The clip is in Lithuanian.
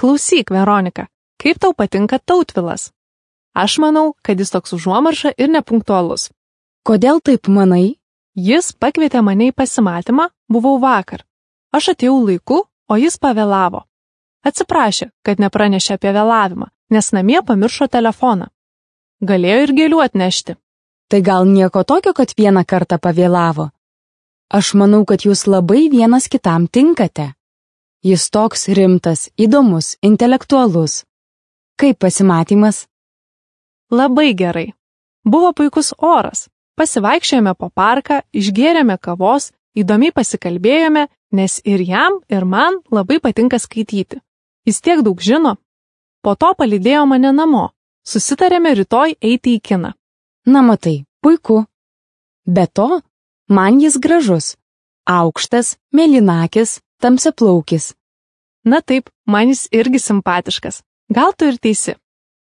Klausyk, Veronika, kaip tau patinka Tautvilas? Aš manau, kad jis toks užuomarša ir nepunktualus. Kodėl taip manai? Jis pakvietė mane į pasimatymą, buvau vakar. Aš atėjau laiku, o jis pavėlavo. Atsiprašė, kad nepranešė apie vėlavimą, nes namie pamiršo telefoną. Galėjo ir gėlių atnešti. Tai gal nieko tokio, kad vieną kartą pavėlavo? Aš manau, kad jūs labai vienas kitam tinkate. Jis toks rimtas, įdomus, intelektualus. Kaip pasimatymas? Labai gerai. Buvo puikus oras. Pasivaikščiojome po parką, išgėrėme kavos, įdomiai pasikalbėjome, nes ir jam, ir man labai patinka skaityti. Jis tiek daug žino. Po to palydėjo mane namo. Susitarėme rytoj eiti į kiną. Na matai, puiku. Be to, man jis gražus. Aukštas, mėlynakis, tamsiaplaukis. Na taip, man jis irgi simpatiškas. Gal tu ir teisi.